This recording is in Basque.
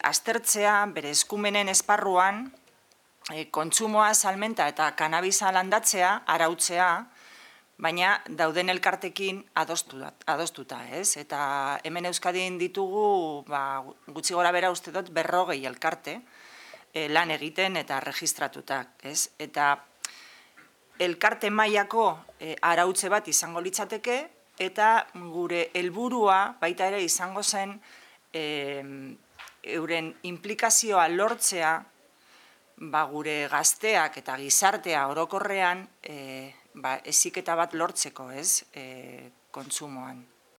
aztertzea bere eskumenen esparruan kontsumoa, salmenta eta kanabisa landatzea, arautzea, baina dauden elkartekin adostuta, ez? Eta hemen Euskadin ditugu, gutxi gora bera uste dut, 40 elkarte lan egiten eta registratutak, ez? Eta elkarte mailako arautze bat izango litzateke, eta gure helburua baita ere izango zen euren implikazioa lortzea gure gazteak eta gizartea orokorrean heziketa bat lortzeko, ez, kontsumoan.